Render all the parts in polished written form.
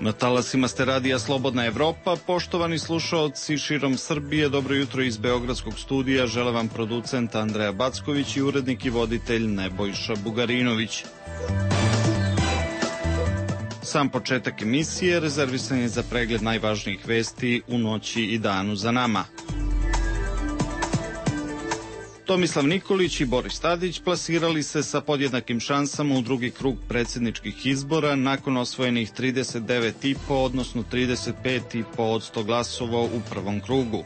Na talasima ste radija Slobodna Evropa. Poštovani slušaoci širom Srbije, dobro jutro iz Beogradskog studija. Žele vam producent Andreja Backović i urednik i voditelj Nebojša Bugarinović. Sam početak emisije rezervisan je za pregled najvažnijih vesti u noći i danu za nama. Tomislav Nikolić i Boris Tadić plasirali se sa podjednakim šansama u drugi krug predsjedničkih izbora nakon osvojenih 39,5, odnosno 35,5% glasova u prvom krugu.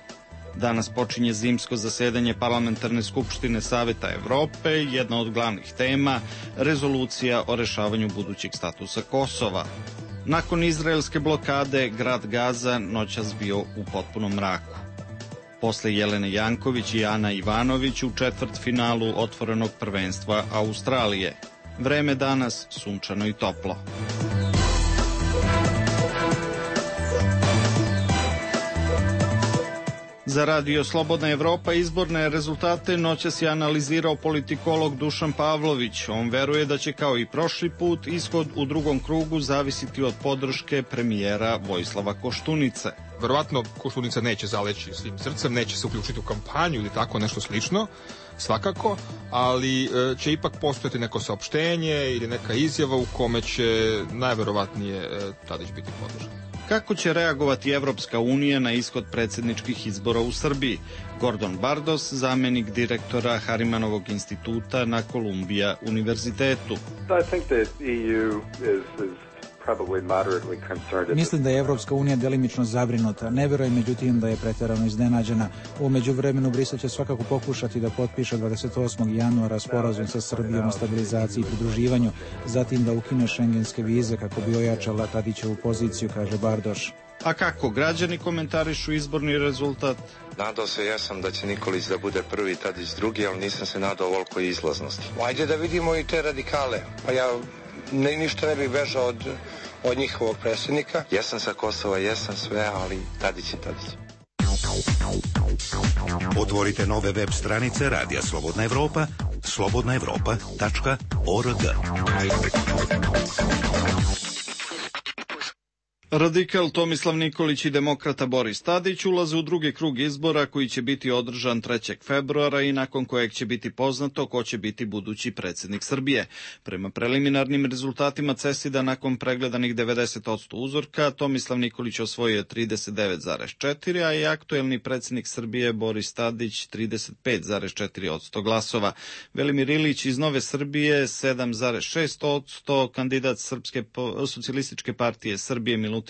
Danas počinje zimsko zasedanje Parlamentarne skupštine Saveta Evrope, jedna od glavnih tema, rezolucija o rešavanju budućeg statusa Kosova. Nakon izraelske blokade, grad Gaza noćas bio u potpunom mraku. Posle Jelene Janković i Ana Ivanović u četvrtfinalu otvorenog prvenstva Australije. Vreme danas sunčano i toplo. Za radio Slobodna Evropa izborne rezultate noćas je analizirao politikolog Dušan Pavlović. On veruje da će kao i prošli put ishod u drugom krugu zavisiti od podrške premijera Vojislava Koštunice. Verovatno Koštunica neće zaleći svim srcem, neće se uključiti u kampanju ili tako nešto slično, svakako, ali će ipak postojati neko saopštenje ili neka izjava u kome će najverovatnije Tadić biti podržan. Kako će reagovati Evropska unija na ishod predsjedničkih izbora u Srbiji? Gordon Bardos, zamenik direktora Harimanovog instituta na Columbia univerzitetu. Mislim da je Evropska unija delimično zabrinuta. Ne verujem međutim da je pretjerano iznenađena. U međuvremenu Brisel će svakako pokušati da potpiše 28. januara sporazum sa Srbijom o stabilizaciji i pridruživanju, zatim da ukine šengenske vize kako bi ojačala Tadićevu poziciju, kaže Bardoš. A kako građani komentarišu izborni rezultat? Nadao se jesam da će Nikolić da bude prvi, Tadić drugi, ali nisam se nadao ovoliko izlaznosti. Ajde da vidimo i te radikale. Pa ja ništa ne bih bežao od njihovog predsjednika. Jesam sa Kosova, jesam sve, ali Tadić je Tadić. Otvorite nove web stranice Radija Slobodna Evropa, slobodnaevropa.org. Radikal Tomislav Nikolić i demokrata Boris Tadić ulaze u drugi krug izbora koji će biti održan 3. februara i nakon kojeg će biti poznato ko će biti budući predsjednik Srbije. Prema preliminarnim rezultatima CESID-a nakon pregledanih 90% uzorka, Tomislav Nikolić osvojio 39,4%, a i aktuelni predsjednik Srbije Boris Tadić 35,4% glasova. Velimir Ilić iz Nove Srbije 7,6%, kandidat Srpske socijalističke partije Srbije Milutin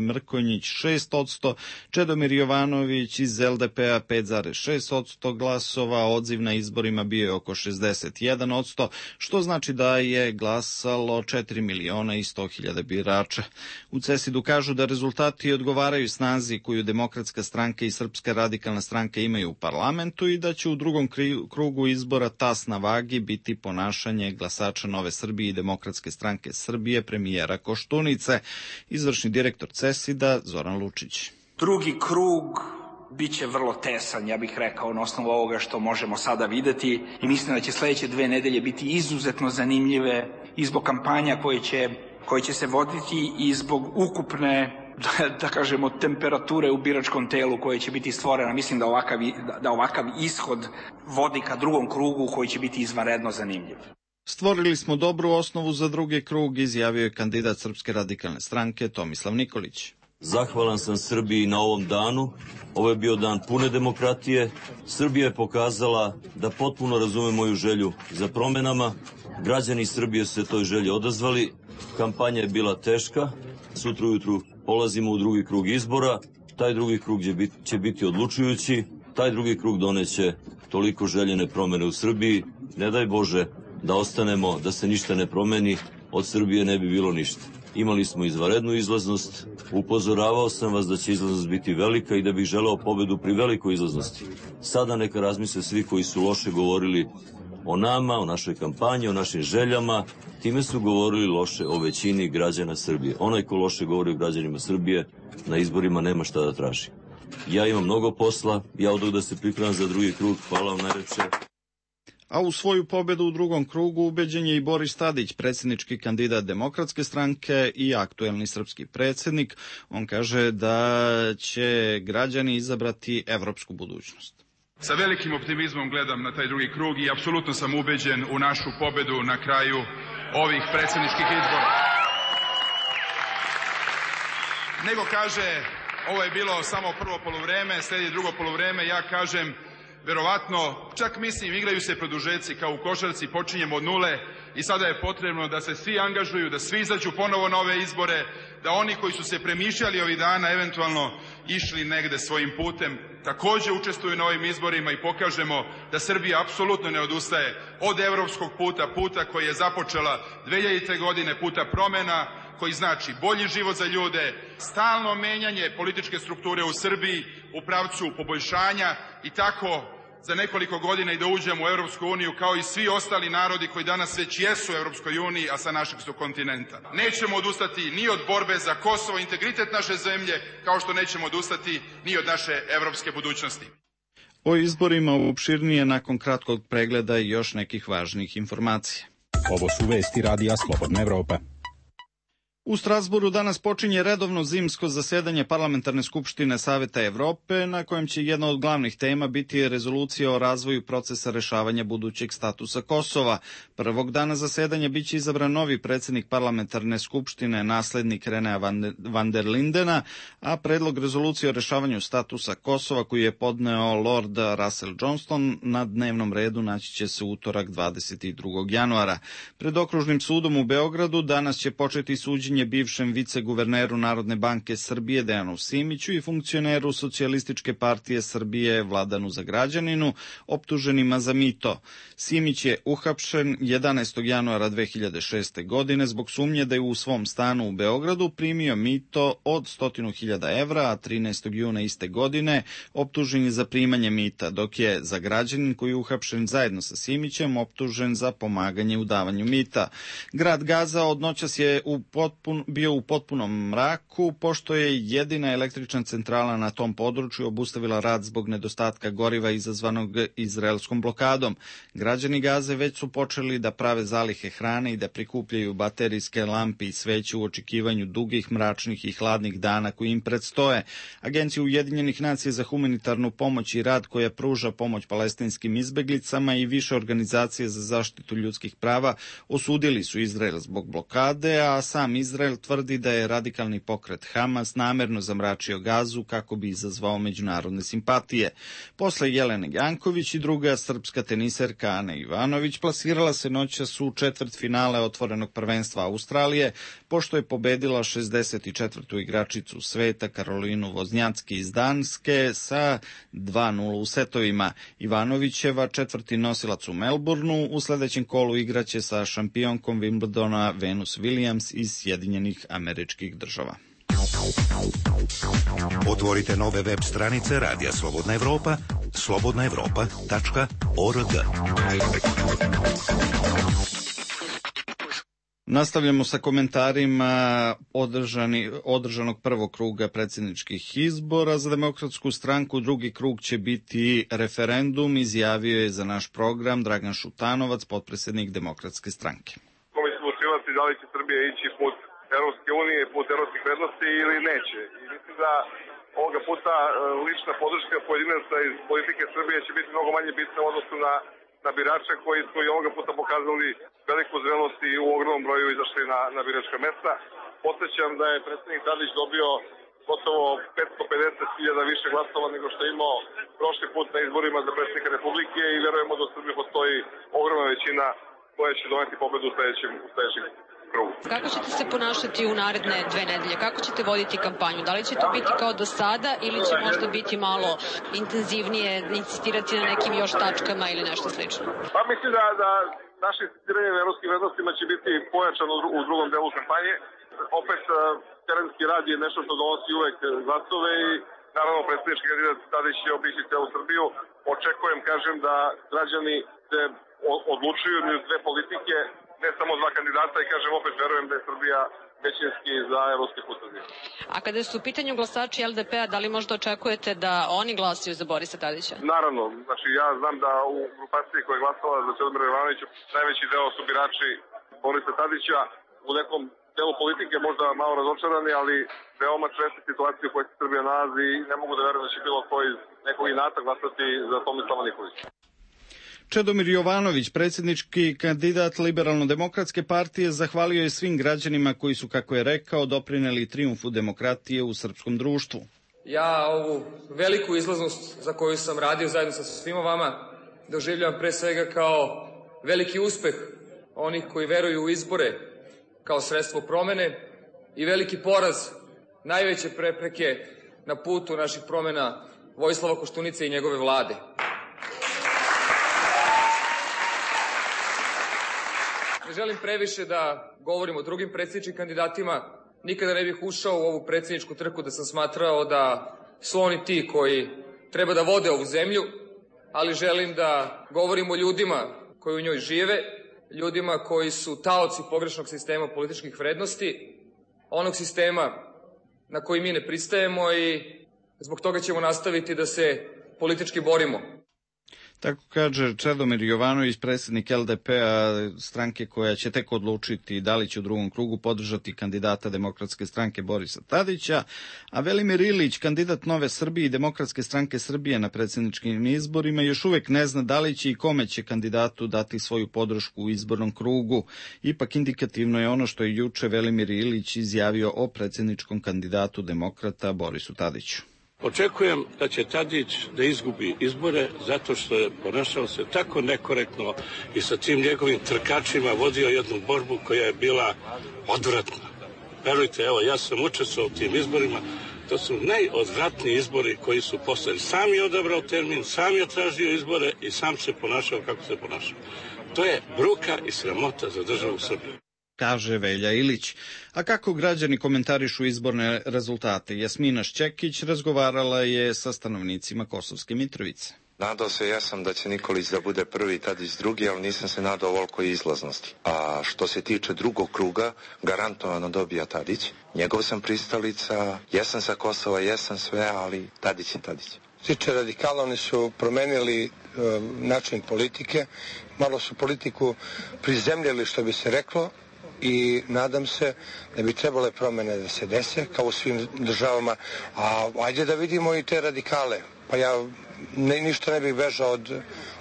Mrkonjić 6%, Čedomir Jovanović iz LDP-a 5,6% glasova, odziv na izborima bio je oko 61%, što znači da je glasalo 4.100.000 birača. U CESID-u kažu da rezultati odgovaraju snazi koju Demokratska stranka i Srpska radikalna stranka imaju u parlamentu i da će u drugom krugu izbora tas na vagi biti ponašanje glasača Nove Srbije i Demokratske stranke Srbije premijera Koštunice. Izvršni direktor CESID-a Zoran Lučić. Drugi krug biće vrlo tesan, ja bih rekao, na osnovu ovoga što možemo sada videti, i mislim da će sledeće 2 nedelje biti izuzetno zanimljive i zbog kampanja koje će se voditi i zbog ukupne, da kažemo, temperature u biračkom telu koje će biti stvorena. Mislim da ovakav ishod vodi ka drugom krugu koji će biti izvanredno zanimljiv. Stvorili smo dobru osnovu za drugi krug, izjavio je kandidat Srpske radikalne stranke Tomislav Nikolić. Zahvalan sam Srbiji na ovom danu. Ovo je bio dan pune demokratije. Srbija je pokazala da potpuno razume moju želju za promenama. Građani Srbije su se toj želji odazvali. Kampanja je bila teška. Sutra ujutru polazimo u drugi krug izbora. Taj drugi krug će biti odlučujući. Taj drugi krug doneće toliko željene promene u Srbiji. Ne daj Bože da ostanemo, da se ništa ne promeni, od Srbije ne bi bilo ništa. Imali smo izvanrednu izlaznost, upozoravao sam vas da će izlaznost biti velika i da bih želeo pobedu pri velikoj izlaznosti. Sada neka razmisle svi koji su loše govorili o nama, o našoj kampanji, o našim željama, time su govorili loše o većini građana Srbije. Onaj ko loše govori o građanima Srbije, na izborima nema šta da traži. Ja imam mnogo posla, ja odoh da se pripremam za drugi krug, hvala vam najlepše. A u svoju pobedu u drugom krugu ubeđen je i Boris Tadić, predsjednički kandidat Demokratske stranke i aktuelni srpski predsjednik. On kaže da će građani izabrati evropsku budućnost. Sa velikim optimizmom gledam na taj drugi krug i apsolutno sam ubeđen u našu pobedu na kraju ovih predsjedničkih izbora. Nego kaže, ovo je bilo samo prvo poluvreme, sledi drugo poluvreme, ja kažem, verovatno, čak mislim, igraju se produžeci kao u košarci, počinjemo od nule i sada je potrebno da se svi angažuju, da svi izađu ponovo na ove izbore, da oni koji su se premišljali ovih dana, eventualno išli negde svojim putem, takođe učestvuju na ovim izborima i pokažemo da Srbija apsolutno ne odustaje od evropskog puta, puta koji je započela 2000. godine, puta promena, koji znači bolji život za ljude, stalno menjanje političke strukture u Srbiji u pravcu poboljšanja i tako za nekoliko godina i da uđemo u Evropsku uniju kao i svi ostali narodi koji danas već jesu u Evropskoj uniji, a sa našeg su kontinenta. Nećemo odustati ni od borbe za Kosovo, integritet naše zemlje, kao što nećemo odustati ni od naše evropske budućnosti. O izborima opširnije nakon kratkog pregleda i još nekih važnih informacija. Ovo su vesti Radija Slobodna Evropa. U Strasburu danas počinje redovno zimsko zasedanje Parlamentarne skupštine Saveta Evrope, na kojem će jedna od glavnih tema biti rezolucija o razvoju procesa rešavanja budućeg statusa Kosova. Prvog dana zasedanja biće izabran novi predsjednik Parlamentarne skupštine, naslednik Renea van der Lindena, a predlog rezolucije o rešavanju statusa Kosova koji je podneo Lord Russell Johnston na dnevnom redu naći će se utorak 22. januara. Pred Okružnim sudom u Beogradu danas će početi suđenje bivšem viceguverneru Narodne banke Srbije Dejanu Simiću i funkcioneru Socijalističke partije Srbije Vladanu Zagrađaninu, optuženima za mito. Simić je uhapšen 11. januara 2006. godine zbog sumnje da je u svom stanu u Beogradu primio mito od 100.000 evra, a 13. juna iste godine optužen je za primanje mita, dok je Zagrađanin, koji je uhapšen zajedno sa Simićem, optužen za pomaganje u davanju mita. Grad Gaza od noćas je bio u potpunom mraku, pošto je jedina električna centrala na tom području obustavila rad zbog nedostatka goriva izazvanog izraelskom blokadom. Građani Gaze već su počeli da prave zalihe hrane i da prikupljaju baterijske lampe i sveće u očekivanju dugih, mračnih i hladnih dana koji im predstoje. Agencija Ujedinjenih nacija za humanitarnu pomoć i rad, koja pruža pomoć palestinskim izbeglicama, i više organizacije za zaštitu ljudskih prava osudili su Izrael zbog blokade, a sam Izrael tvrdi da je radikalni pokret Hamas namerno zamračio Gazu kako bi izazvao međunarodne simpatije. Posle Jelene Janković i druga srpska teniserka Ana Ivanović plasirala se noćas u četvrtfinale otvorenog prvenstva Australije, pošto je pobedila 64. igračicu sveta Karolinu Voznjacki iz Danske sa 2:0 u setovima. Ivanovićeva, četvrti nosilac u Melbourneu, u sledećem kolu igraće sa šampionkom Wimbledona Venus Williams iz Sjedinjenih Američkih Država. Otvorite nove web stranice Radija Slobodna Evropa, slobodnaevropa.org. Nastavljamo sa komentarima održanog prvog kruga predsjedničkih izbora. Za Demokratsku stranku drugi krug će biti referendum, izjavio je za naš program Dragan Šutanovac, potpredsjednik Demokratske stranke. Da li će Srbija ići put Evropske unije, put evropskih vrednosti ili neće. I mislim da ovoga puta lična podrška pojedinaca iz politike Srbije će biti mnogo manje bitna u odnosu na birače koji su i ovoga puta pokazali veliku zrelost i u ogromnom broju izašli na biračka mesta. Podsećam da je predsjednik Tadić dobio gotovo 550.000 više glasova nego što je imao prošli put na izborima za predsjednika Republike i verujemo da u Srbiji postoji ogromna većina koja će doneti pobedu u sledećem krugu. Kako ćete se ponašati u naredne 2 nedelje? Kako ćete voditi kampanju? Da li će to biti kao do sada ili će možda biti malo intenzivnije, insistirati na nekim još tačkama ili nešto slično? Pa mislim da naše insistiranje na evropskim vrednostima će biti pojačano u drugom delu kampanje. Opet, terenski rad je nešto što donosi uvek glasove i naravno predsjednički kandidat Tadić će obići celu Srbiju. Očekujem, kažem, da građani se odlučuju uz dve politike, ne samo dva kandidata, i kažem opet verujem da je Srbija većinski za evropski put Srbije. A kada su u pitanju glasači LDP-a, da li možda očekujete da oni glasaju za Borisa Tadića? Naravno, znači ja znam da u grupaciji koja je glasala za Čedomira Jovanovića najveći deo su birači Borisa Tadića, u nekom delu politike možda malo razočarani, ali veoma česta situacija u kojoj se Srbija nalazi i ne mogu da verujem da će bilo koji iz nekog inata glasati za Tomislava Nikolića. Čedomir Jovanović, predsjednički kandidat Liberalno-demokratske partije, zahvalio je svim građanima koji su, kako je rekao, doprineli trijumfu demokratije u srpskom društvu. Ja ovu veliku izlaznost za koju sam radio zajedno sa svima vama doživljavam pre svega kao veliki uspeh onih koji veruju u izbore kao sredstvo promene i veliki poraz najveće prepreke na putu naših promena Vojislava Koštunice i njegove vlade. Ne želim previše da govorim o drugim predsjedničkim kandidatima. Nikada ne bih ušao u ovu predsjedničku trku da sam smatrao da su oni ti koji treba da vode ovu zemlju, ali želim da govorim o ljudima koji u njoj žive, ljudima koji su taoci pogrešnog sistema političkih vrednosti, onog sistema na koji mi ne pristajemo i zbog toga ćemo nastaviti da se politički borimo. Tako kaže Čedomir Jovanović, predsjednik LDP-a, stranke koja će tek odlučiti da li će u drugom krugu podržati kandidata Demokratske stranke Borisa Tadića, a Velimir Ilić, kandidat Nove Srbije i Demokratske stranke Srbije na predsjedničkim izborima, još uvek ne zna da li će i kome će kandidatu dati svoju podršku u izbornom krugu. Ipak indikativno je ono što je juče Velimir Ilić izjavio o predsjedničkom kandidatu demokrata Borisu Tadiću. Očekujem da će Tadić da izgubi izbore zato što je ponašao se tako nekorektno i sa tim njegovim trkačima vodio jednu borbu koja je bila odvratna. Verujte, evo, ja sam učestvovao u tim izborima, to su najodvratniji izbori koji su postali. Sam je odabrao termin, sam je tražio izbore i sam se ponašao kako se ponašao. To je bruka i sramota za državu Srbiju, kaže Velja Ilić. A kako građani komentarišu izborne rezultate? Jasmina Šćekić razgovarala je sa stanovnicima Kosovske Mitrovice. Nadao se jesam da će Nikolić da bude prvi, Tadić drugi, ali nisam se nadao ovolikoj izlaznosti. A što se tiče drugog kruga, garantovano dobija Tadić. Njegov sam pristalica, jesam sa Kosova, jesam sve, ali Tadić je Tadić. Tiče radikala, oni su promenili način politike, malo su politiku prizemljili, što bi se reklo, i nadam se da bi trebale promene da se dese, kao u svim državama, a ajde da vidimo i te radikale. Pa ja ništa ne bih bežao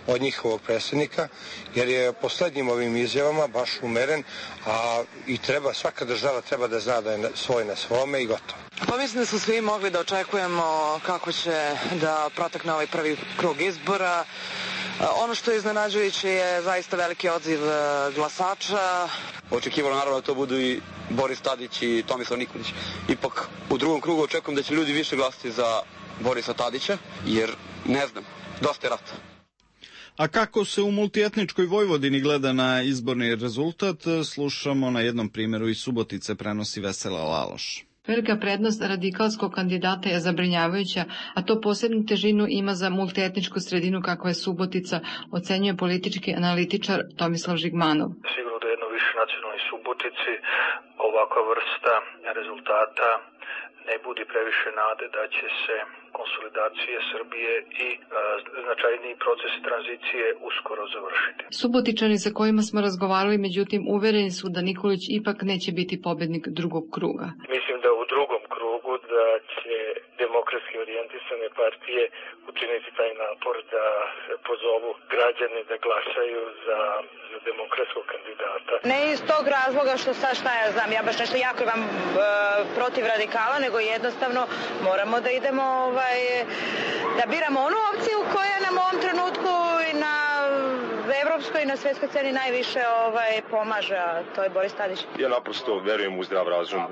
od njihovog predsjednika, jer je poslednjim ovim izjavama baš umeren, a i svaka država treba da zna da je svoj na svome i gotovo. Pa mislim da su svi mogli da očekujemo kako će da protekne ovaj prvi krug izbora. Ono što je iznenađujuće je zaista veliki odziv glasača. Očekivalo naravno da to budu i Boris Tadić i Tomislav Nikolić. Ipak u drugom krugu očekujem da će ljudi više glasati za Borisa Tadića, jer ne znam, dosta je rata. A kako se u multietničkoj Vojvodini gleda na izborni rezultat, slušamo na jednom primjeru iz Subotice, prenosi Vesela Laloš. Velika prednost radikalskog kandidata je zabrinjavajuća, a to posebnu težinu ima za multietničku sredinu kakva je Subotica, ocenjuje politički analitičar Tomislav Žigmanov. Sigurno da jedno više nacionalnoj Subotici ovakva vrsta rezultata ne budi previše nade da će se konsolidacije Srbije i značajniji procesi tranzicije uskoro završiti. Subotičani sa kojima smo razgovarali, međutim, uvereni su da Nikolić ipak neće biti pobednik drugog kruga. Mislim da u drugom krugu da će demokratski orijentisane partije učiniti taj napor da pozovu građane da glasaju za demokratskog kandidata. Ne iz tog razloga što sad šta ja znam, ja baš nešto jako imam protiv radikala, nego jednostavno moramo da idemo da biramo onu opciju koja nam u ovom trenutku i na evropskoj i na svetskoj sceni najviše pomaže, a to je Boris Tadić. Ja naprosto verujem u zdrav razum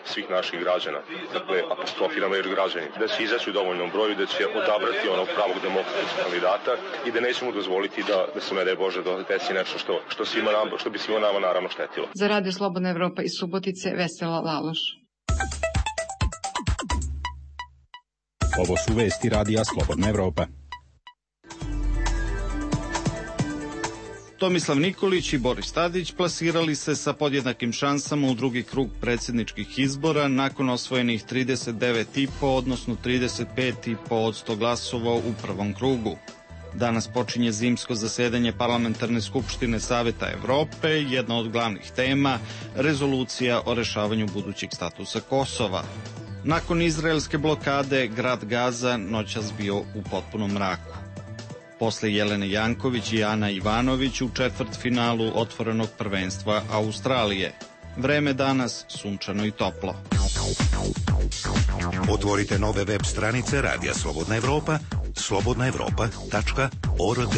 svih naših građana. Dakle, apostrofiramo jer građani. Da će izaći u dovoljnom broju, da će odabrati onog pravog demokratskog kandidata i da nećemo dozvoliti da se, ne daj Bože, desi nešto što bi svima nama naravno štetilo. Za Radio Slobodna Evropa iz Subotice, Vesela Laloš. Ovo su vesti Radija Slobodna Evropa. Tomislav Nikolić i Boris Tadić plasirali se sa podjednakim šansama u drugi krug predsjedničkih izbora nakon osvojenih 39,5, odnosno 35,5% glasova u prvom krugu. Danas počinje zimsko zasedanje Parlamentarne skupštine Saveta Evrope, jedna od glavnih tema, rezolucija o rešavanju budućeg statusa Kosova. Nakon izraelske blokade, grad Gaza noćas bio u potpunom mraku. Posle Jelene Janković i Ana Ivanović u četvrtfinalu otvorenog prvenstva Australije. Vreme danas sunčano i toplo. Otvorite nove web stranice Radija Slobodna Evropa, slobodnaevropa.org.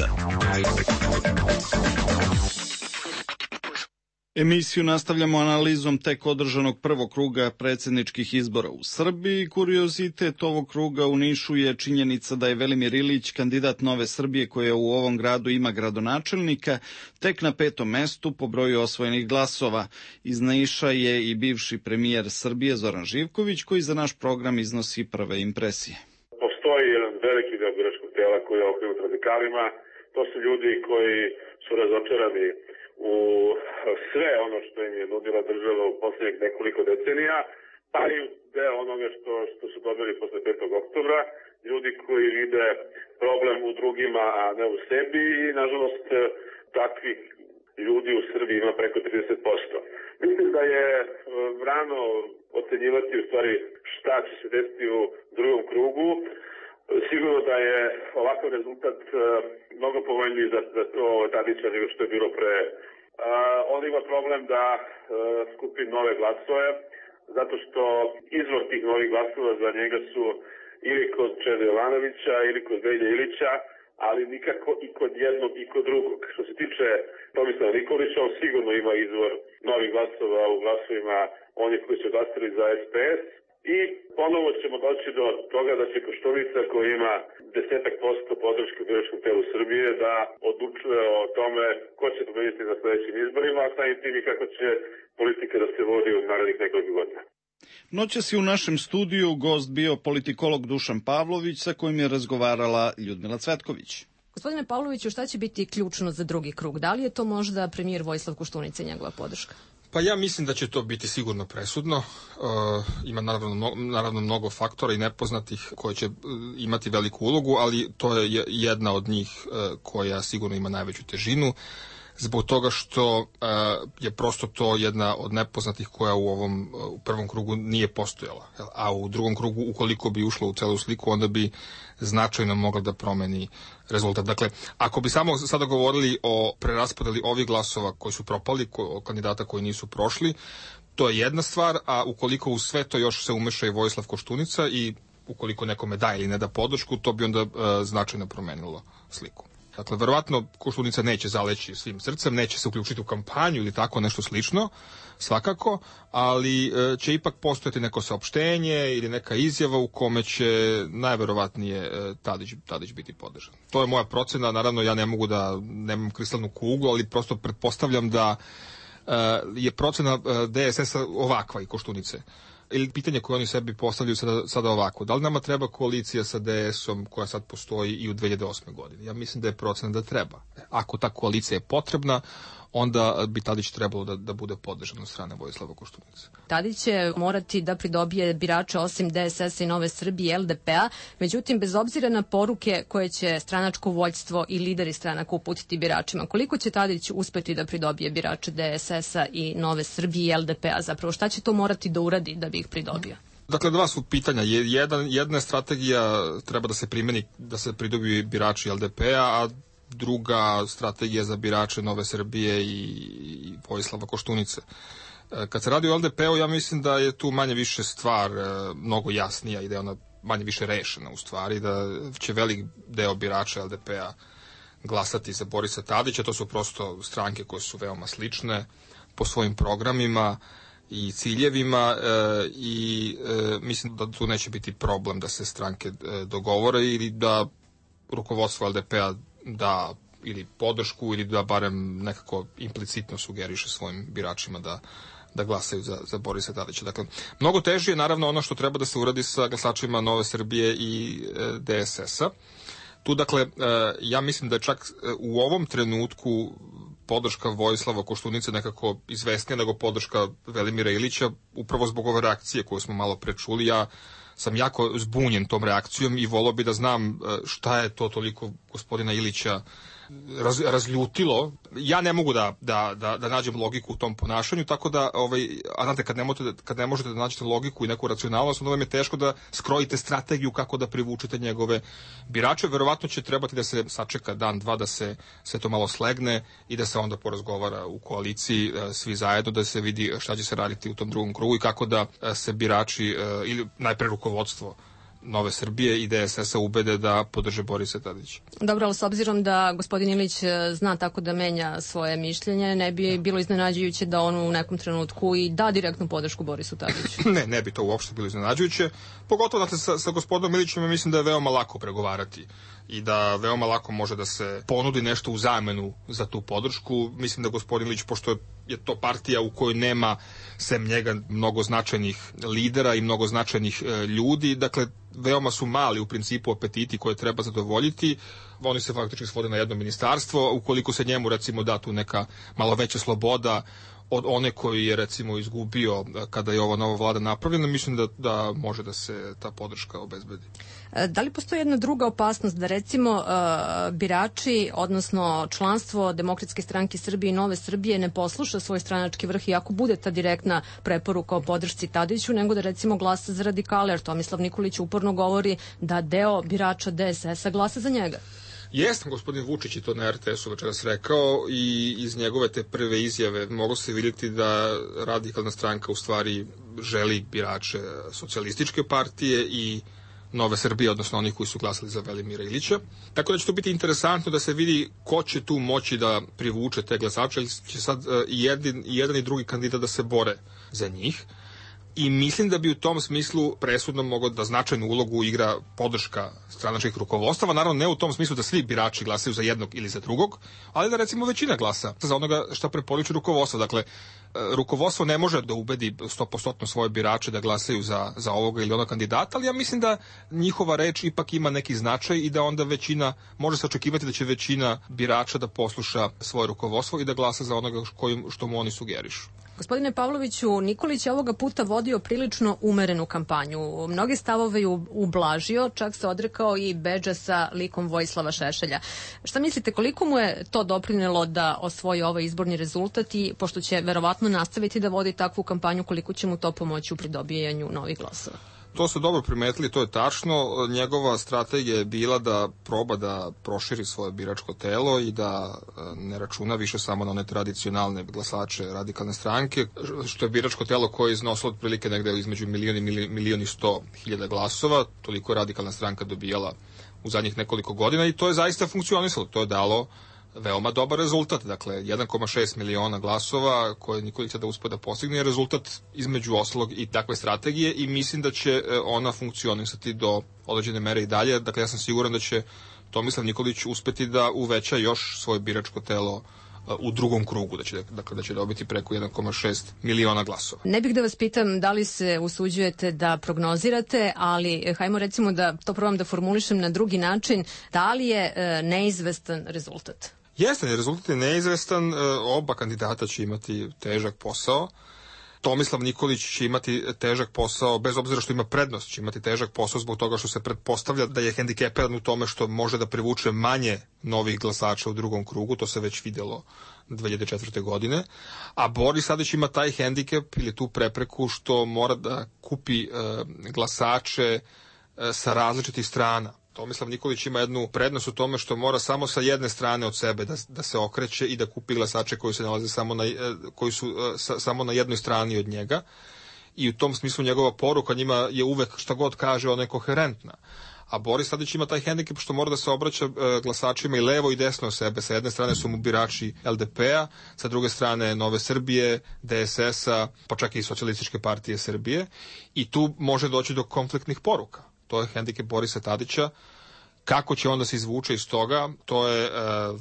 Emisiju nastavljamo analizom tek održanog prvog kruga predsjedničkih izbora u Srbiji. Kuriozitet ovog kruga u Nišu je činjenica da je Velimir Ilić, kandidat Nove Srbije koja u ovom gradu ima gradonačelnika, tek na 5. mestu po broju osvojenih glasova. Iz Niša je i bivši premijer Srbije Zoran Živković koji za naš program iznosi prve impresije. Postoji jedan veliki deo biračkog tela koji je okrenut radikalima. To su ljudi koji su razočarani u sve ono što im je nudila država u posljednjih nekoliko decenija, pa i deo onoga što su dobili posle 5. oktobra, ljudi koji vide problem u drugima, a ne u sebi i, nažalost, takvih ljudi u Srbiji ima preko 30%. Mislim da je rano ocenjivati u stvari šta će se desiti u drugom krugu. Sigurno da je ovakav rezultat mnogo povoljniji za to Tadića nego što je bilo pre. On ima problem da skupi nove glasove, zato što izvor tih novih glasova za njega su ili kod Čede Jovanovića ili kod Velje Ilića, ali nikako i kod jednog i kod drugog. Što se tiče Tomislava Nikolića, on sigurno ima izvor novih glasova u glasovima onih koji su glasali za SPS, i ponovo ćemo doći do toga da će Koštunica, koji ima 10% podrške u biračkom telu Srbije, da odlučuje o tome ko će pobediti na sledećim izborima, a samim tim i kako će politika da se vodi u narednih nekoliko godina. Noćas je u našem studiju gost bio politikolog Dušan Pavlović, sa kojim je razgovarala Ljudmila Cvetković. Gospodine Pavloviću, šta će biti ključno za drugi krug? Da li je to možda premijer Vojislav Koštunica i njegova podrška? Pa ja mislim da će to biti sigurno presudno. Ima naravno mnogo faktora i nepoznatih koje će imati veliku ulogu, ali to je jedna od njih koja sigurno ima najveću težinu, zbog toga što je prosto to jedna od nepoznatih koja u prvom krugu nije postojala. A u drugom krugu, ukoliko bi ušla u celu sliku, onda bi značajno mogla da promeni rezultat. Dakle, ako bi samo sada govorili o preraspodeli ovih glasova koji su propali, kandidata koji nisu prošli, to je jedna stvar, a ukoliko u sve to još se umeša i Vojislav Koštunica i ukoliko nekome da ili ne da podršku, to bi onda značajno promenilo sliku. Dakle, verovatno Koštunica neće zaleći svim srcem, neće se uključiti u kampanju ili tako nešto slično, svakako, ali će ipak postojati neko saopštenje ili neka izjava u kome će najverovatnije Tadić biti podržan. To je moja procena, naravno ja ne mogu da nemam kristalnu kuglu, ali prosto pretpostavljam da je procena DSS-a ovakva i Koštunice. Ili pitanje koje oni sebi postavljaju sada ovako. Da li nama treba koalicija sa DS-om koja sad postoji i u 2008. godini? Ja mislim da je procena da treba. Ako ta koalicija je potrebna, onda bi Tadić trebalo da bude podržan od strane Vojislava Koštunice. Tadić će morati da pridobije birače osim DSS-a i Nove Srbije i LDP-a, međutim, bez obzira na poruke koje će stranačko vođstvo i lideri stranaka uputiti biračima, koliko će Tadić uspeti da pridobije birače DSS-a i Nove Srbije i LDP-a? Zapravo, šta će to morati da uradi da bi ih pridobio? Dakle, dva su pitanja. Jedna strategija treba da se primeni, da se pridobiju birači LDP-a, a druga strategija za birače Nove Srbije i Vojislava Koštunice. Kad se radi o LDP-u, ja mislim da je tu manje više stvar mnogo jasnija i da je ona manje više rešena u stvari, da će velik deo birača LDP-a glasati za Borisa Tadića. To su prosto stranke koje su veoma slične po svojim programima i ciljevima i mislim da tu neće biti problem da se stranke dogovore ili da rukovodstvo LDP-a da ili podršku ili da barem nekako implicitno sugeriše svojim biračima da glasaju za Borisa Tadića. Dakle, mnogo teže je naravno ono što treba da se uradi sa glasačima Nove Srbije i DSS-a. Tu, dakle, ja mislim da je čak u ovom trenutku podrška Vojislava Koštunice nekako izvesnija nego podrška Velimira Ilića, upravo zbog ove reakcije koju smo malo prečuli. Ja sam jako zbunjen tom reakcijom i volao bi da znam šta je to toliko gospodina Ilića razljutilo. Ja ne mogu da nađem logiku u tom ponašanju, tako da, a znate, kad ne možete da nađete logiku i neku racionalnost, onda vam je teško da skrojite strategiju kako da privučete njegove birače. Verovatno će trebati da se sačeka dan, dva, da se sve to malo slegne i da se onda porazgovara u koaliciji svi zajedno, da se vidi šta će se raditi u tom drugom krugu i kako da se birači ili najpre rukovodstvo Nove Srbije i DSS-a ubede da podrže Borisa Tadića. Dobro, ali s obzirom da gospodin Ilić zna tako da menja svoje mišljenje, ne bi bilo iznenađujuće da on u nekom trenutku i da direktnu podršku Borisu Tadiću? Ne bi to uopšte bilo iznenađujuće. Pogotovo sa gospodinom Ilićem mislim da je veoma lako pregovarati i da veoma lako može da se ponudi nešto u zamenu za tu podršku. Mislim da gospodin Ilić, pošto je to partija u kojoj nema sem njega mnogo značajnih lidera i mnogo značajnih ljudi, dakle veoma su mali u principu apetiti koje treba zadovoljiti. Oni se faktički svode na jedno ministarstvo. Ukoliko se njemu recimo da tu neka malo veća sloboda od one koji je recimo izgubio kada je ova nova vlada napravljena, mislim da može da se ta podrška obezbedi. Da li postoji jedna druga opasnost da recimo birači, odnosno članstvo Demokratske stranke Srbije i Nove Srbije ne posluša svoj stranački vrh i ako bude ta direktna preporuka o podršci Tadiću, nego da recimo glasa za radikale, jer Tomislav Nikolić uporno govori da deo birača DSS-a glasa za njega? Jeste, gospodin Vučić je to na RTS-u večeras rekao i iz njegove te prve izjave moglo se vidjeti da radikalna stranka u stvari želi birače socijalističke partije i Nove Srbije, odnosno onih koji su glasali za Velimira Ilića. Tako da će to biti interesantno da se vidi ko će tu moći da privuče te glasače, ili će sad i jedan i drugi kandidat da se bore za njih. I mislim da bi u tom smislu presudno moglo da značajnu ulogu igra podrška stranačkih rukovodstava, naravno ne u tom smislu da svi birači glasaju za jednog ili za drugog, ali da recimo većina glasa za onoga što preporučuje rukovodstvo. Dakle, rukovodstvo ne može da ubedi 100% svoje birače da glasaju za ovoga ili onog kandidata, ali ja mislim da njihova reč ipak ima neki značaj i da onda može se očekivati da će većina birača da posluša svoje rukovodstvo i da glasa za onoga što mu oni sugerišu. Gospodine Pavloviću, Nikolić je ovoga puta vodio prilično umerenu kampanju. Mnoge stavove je ublažio, čak se odrekao i bedža sa likom Vojislava Šešelja. Šta mislite, koliko mu je to doprinelo da osvoji ovaj izborni rezultat i pošto će verovatno nastaviti da vodi takvu kampanju, koliko će mu to pomoći u pridobijanju novih glasova? To ste dobro primetili, to je tačno. Njegova strategija je bila da proba da proširi svoje biračko telo i da ne računa više samo na one tradicionalne glasače radikalne stranke, što je biračko telo koje je iznosilo otprilike negde između 1.100.000 glasova. Toliko je radikalna stranka dobijala u zadnjih nekoliko godina i to je zaista funkcionisalo. To je dalo veoma dobar rezultat. Dakle, 1,6 miliona glasova koje Nikolić da uspe da postigne je rezultat između ostalog i takve strategije i mislim da će ona funkcionisati do određene mere i dalje. Dakle, ja sam siguran da će Tomislav Nikolić uspeti da uveća još svoje biračko telo u drugom krugu, da će dobiti preko 1,6 miliona glasova. Ne bih da vas pitam da li se usuđujete da prognozirate, ali hajmo recimo da to probam da formulišem na drugi način. Da li je neizvestan rezultat? Jeste, rezultat je neizvestan, oba kandidata će imati težak posao. Tomislav Nikolić će imati težak posao, bez obzira što ima prednost, će imati težak posao zbog toga što se pretpostavlja da je hendikepiran u tome što može da privuče manje novih glasača u drugom krugu, to se već vidjelo 2004. godine, a Boris Tadić ima taj hendikep ili tu prepreku što mora da kupi glasače sa različitih strana. Tomislav Nikolić ima jednu prednost u tome što mora samo sa jedne strane od sebe da se okreće i da kupi glasače koji se nalaze koji su samo na jednoj strani od njega i u tom smislu njegova poruka njima je uvek šta god kaže ona je koherentna. A Boris Tadić ima taj hendikep što mora da se obraća glasačima i levo i desno od sebe. Sa jedne strane su mu birači LDP-a, sa druge strane Nove Srbije, DSS-a, pa čak i Socijalističke partije Srbije i tu može doći do konfliktnih poruka. To je hendikep Borisa Tadića. Kako će onda se izvuče iz toga, to je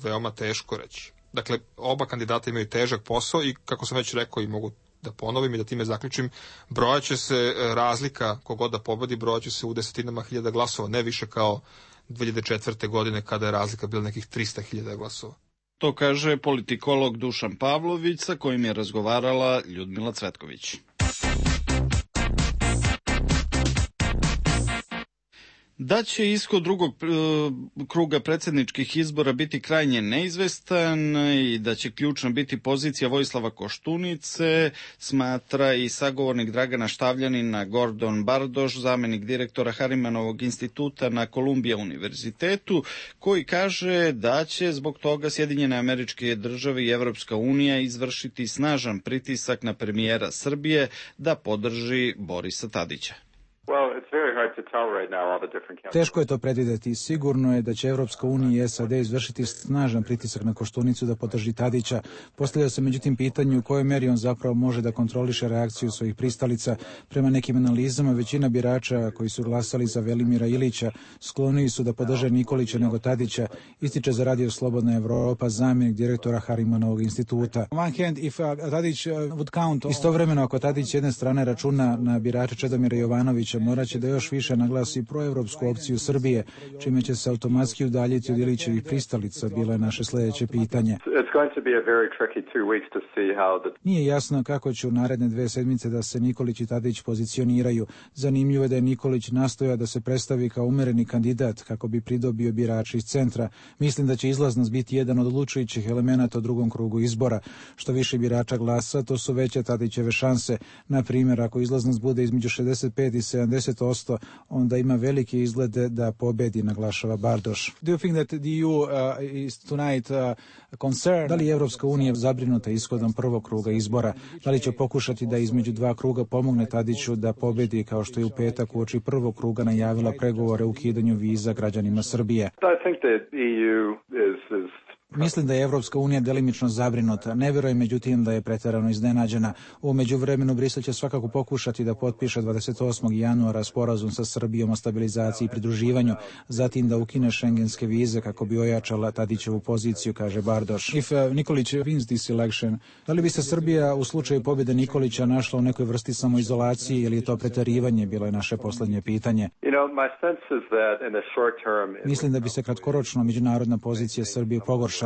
veoma teško reći. Dakle, oba kandidata imaju težak posao i kako sam već rekao i mogu da ponovim i da time zaključim, brojaće se razlika, kogod da pobedi, brojaće se u desetinama hiljada glasova, ne više kao 2004. godine kada je razlika bila nekih 300.000 glasova. To kaže politikolog Dušan Pavlović, sa kojim je razgovarala Ljudmila Cvetković. Da će ishod drugog kruga predsjedničkih izbora biti krajnje neizvestan i da će ključna biti pozicija Vojislava Koštunice, smatra i sagovornik Dragana Štavljanina Gordon Bardoš, zamenik direktora Harimanovog instituta na Kolumbija univerzitetu, koji kaže da će zbog toga Sjedinjene Američke Države i Evropska unija izvršiti snažan pritisak na premijera Srbije da podrži Borisa Tadića. Teško je to predvideti. Sigurno je da će Evropska unija i SAD izvršiti snažan pritisak na Koštunicu da podrži Tadića. Postavlja se međutim pitanje u kojoj meri on zapravo može da kontroliše reakciju svojih pristalica. Prema nekim analizama, većina birača koji su glasali za Velimira Ilića skloniji su da podrže Nikolića nego Tadića, ističe za Radio Slobodna Evropa zamjenik direktora Harimanovog instituta. Istovremeno, ako Tadić jedne strane računa na birače Čedomira Jovanovića, moraće da još više naglasi proevropsku opciju Srbije, čime će se automatski udaljiti od Ilićevih pristalica, bilo je naše sljedeće pitanje. Nije jasno kako će u naredne 2 sedmice da se Nikolić i Tadić pozicioniraju. Zanimljivo je da je Nikolić nastojao da se predstavi kao umereni kandidat kako bi pridobio birače iz centra. Mislim da će izlaznost biti jedan od odlučujućih elemenata u drugom krugu izbora. Što više birača glasa, to su veće Tadićeve šanse. Na primjer, ako izlaznost bude između 65 i 70%, onda ima velike izglede da pobedi, naglašava Bardoš. Do you think that the EU is tonight concerned? Da li je Evropska unija zabrinuta ishodom prvog kruga izbora? Da li će pokušati da između 2 kruga pomogne Tadiću da pobedi, kao što je u petak uoči prvog kruga najavila pregovore o ukidanju viza građanima Srbije? I think that EU is Mislim da je Evropska unija delimično zabrinuta. Ne vjerujem međutim da je pretjerano iznenađena. U međuvremenu Brisel će svakako pokušati da potpiše 28. januara sporazum sa Srbijom o stabilizaciji i pridruživanju, zatim da ukine šengenske vize kako bi ojačala Tadićevu poziciju, kaže Bardoš. If Nikolić wins this election, da li bi se Srbija u slučaju pobjede Nikolića našla u nekoj vrsti samoizolacije ili je to pretjerivanje, bilo je naše posljednje pitanje. Mislim da bi se kratkoročno međunarodna pozicija Srbije pogoršala.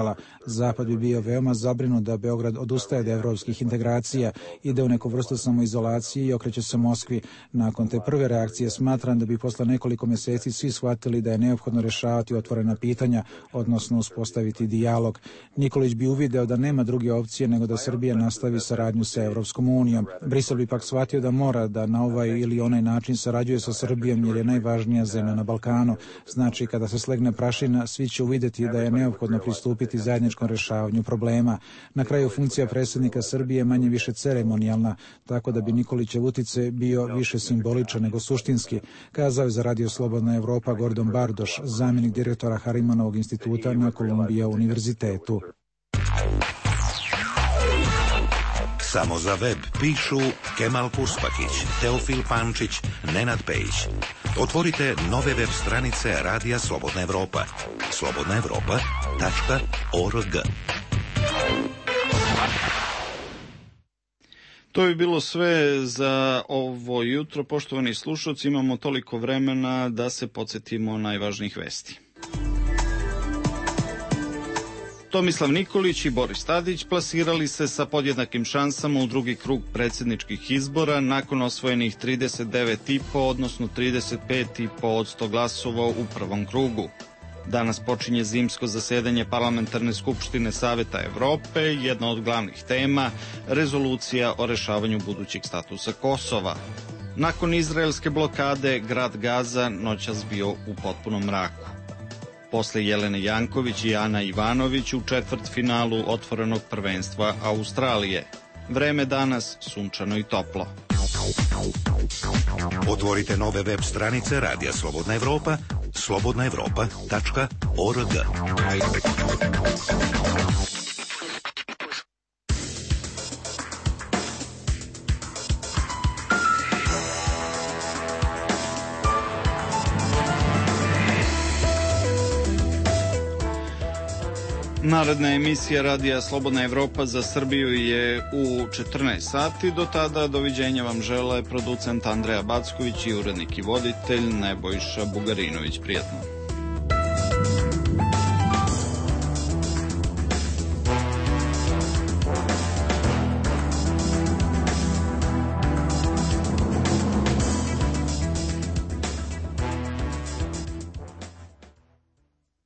Zapad bi bio veoma zabrinut da Beograd odustaje od evropskih integracija, ide u neku vrstu samoizolacije i okreće se Moskvi. Nakon te prve reakcije smatram da bi posle nekoliko mjeseci svi shvatili da je neophodno rješavati otvorena pitanja, odnosno uspostaviti dijalog. Nikolić bi uvideo da nema druge opcije nego da Srbija nastavi saradnju sa Evropskom unijom. Brisel bi pak shvatio da mora da na ovaj ili onaj način sarađuje sa Srbijom jer je najvažnija zemlja na Balkanu. Znači, kada se slegne prašina, svi će uvidjeti da je neophodno pristupiti zajedničkom rješavanju problema. Na kraju funkcija predsjednika Srbije je manje više ceremonijalna, tako da bi Nikolićev utjecaj bio više simboličan nego suštinski, kazao je za Radio Slobodna Evropa Gordon Bardoš, zamjenik direktora Harimanovog instituta na Kolumbija univerzitetu. Samo za web pišu Kemal Kuspakić, Teofil Pančić, Nenad Pejić. Otvorite nove web stranice Radija Slobodna Evropa. slobodnaevropa.org. To bi bilo sve za ovo jutro. Poštovani slušalci, imamo toliko vremena da se podsjetimo najvažnijih vesti. Tomislav Nikolić i Boris Tadić plasirali se sa podjednakim šansama u drugi krug predsjedničkih izbora nakon osvojenih 39,5, odnosno 35,5% glasova u prvom krugu. Danas počinje zimsko zasedanje Parlamentarne skupštine Saveta Evrope, jedna od glavnih tema, rezolucija o rešavanju budućeg statusa Kosova. Nakon izraelske blokade, grad Gaza noćas bio u potpunom mraku. Posle Jelene Janković i Ana Ivanović u četvrtfinalu otvorenog prvenstva Australije. Vreme danas sunčano i toplo. Otvorite nove web stranice Radija Slobodna Evropa, slobodnaevropa.org. Naredna emisija Radija Slobodna Evropa za Srbiju je u 14 sati. Do tada doviđenja vam žele producent Andreja Backović i urednik i voditelj Nebojša Bugarinović. Prijetno.